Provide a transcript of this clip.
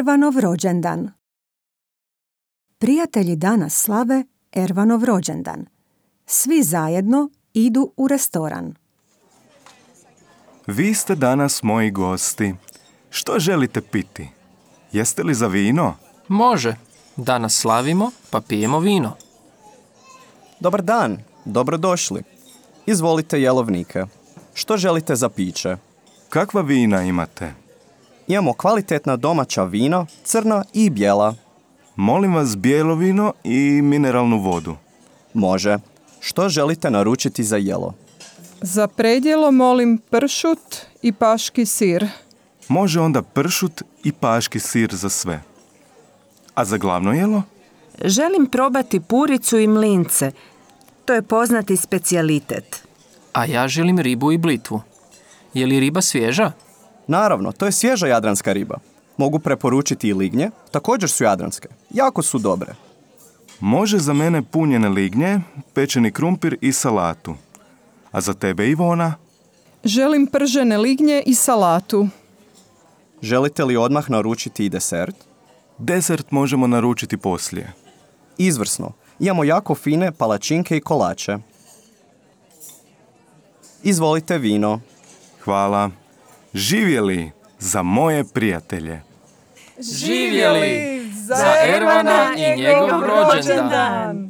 Ervanov rođendan. Prijatelji danas slave Ervanov rođendan. Svi zajedno idu u restoran. Vi ste danas moji gosti. Što želite piti? Jeste li za vino? Može. Danas slavimo, pa pijemo vino. Dobar dan, dobrodošli. Izvolite jelovnike. Što želite za piće? Kakva vina imate? Imamo kvalitetna domaća vina, crna i bijela. Molim vas bijelo vino i mineralnu vodu. Može. Što želite naručiti za jelo? Za predjelo molim pršut i paški sir. Može onda pršut i paški sir za sve. A za glavno jelo? Želim probati puricu i mlince. To je poznati specijalitet. A ja želim ribu i blitvu. Je li riba svježa? Naravno, to je svježa jadranska riba. Mogu preporučiti i lignje, također su jadranske. Jako su dobre. Može za mene punjene lignje, pečeni krumpir i salatu. A za tebe, Ivona? Želim pržene lignje i salatu. Želite li odmah naručiti i desert? Desert možemo naručiti poslije. Izvrsno. Imamo jako fine palačinke i kolače. Izvolite vino. Hvala. Živjeli za moje prijatelje. Živjeli za Ervana i njegov rođendan!